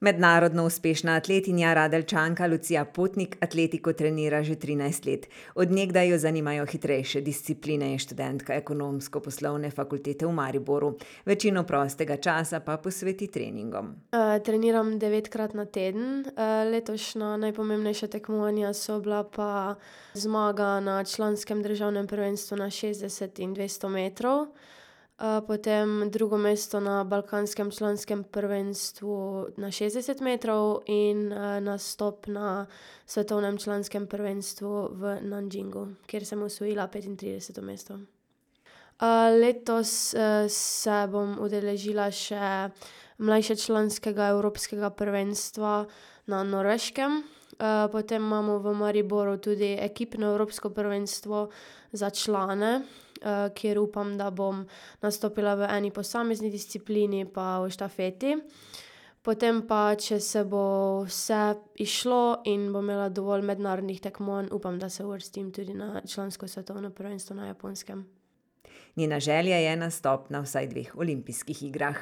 Mednarodno uspešna atletinja Radeljčanka Lucija Potnik atletiko trenira že 13 let. Od nekdaj jo zanimajo hitrejše discipline, je študentka ekonomsko-poslovne fakultete v Mariboru. Večino prostega časa pa posveti treningom. Treniram 9-krat na teden. Letošnja najpomembnejša tekmovanja so bila pa zmaga na članskem državnem prvenstvu na 60 in 200 metrov. Potem drugo mesto na balkanskem članskem prvenstvu na 60 metrov in nastop na svetovnem članskem prvenstvu v Nanjingu, kjer sem osvojila 35. mesto. Letos se bom udeležila še mlajšečlanskega evropskega prvenstva na Norveškem. Potem imamo v Mariboru tudi ekipno evropsko prvenstvo za člane, kjer upam, da bom nastopila v eni posamezni disciplini pa v štafeti. Potem pa, če se bo vse izšlo in bom imela dovolj mednarodnih tekmovanj, upam, da se uvrstim tudi na člansko svetovno prvenstvo na Japonskem. Njena želja je nastop na vsaj 2 olimpijskih igrah.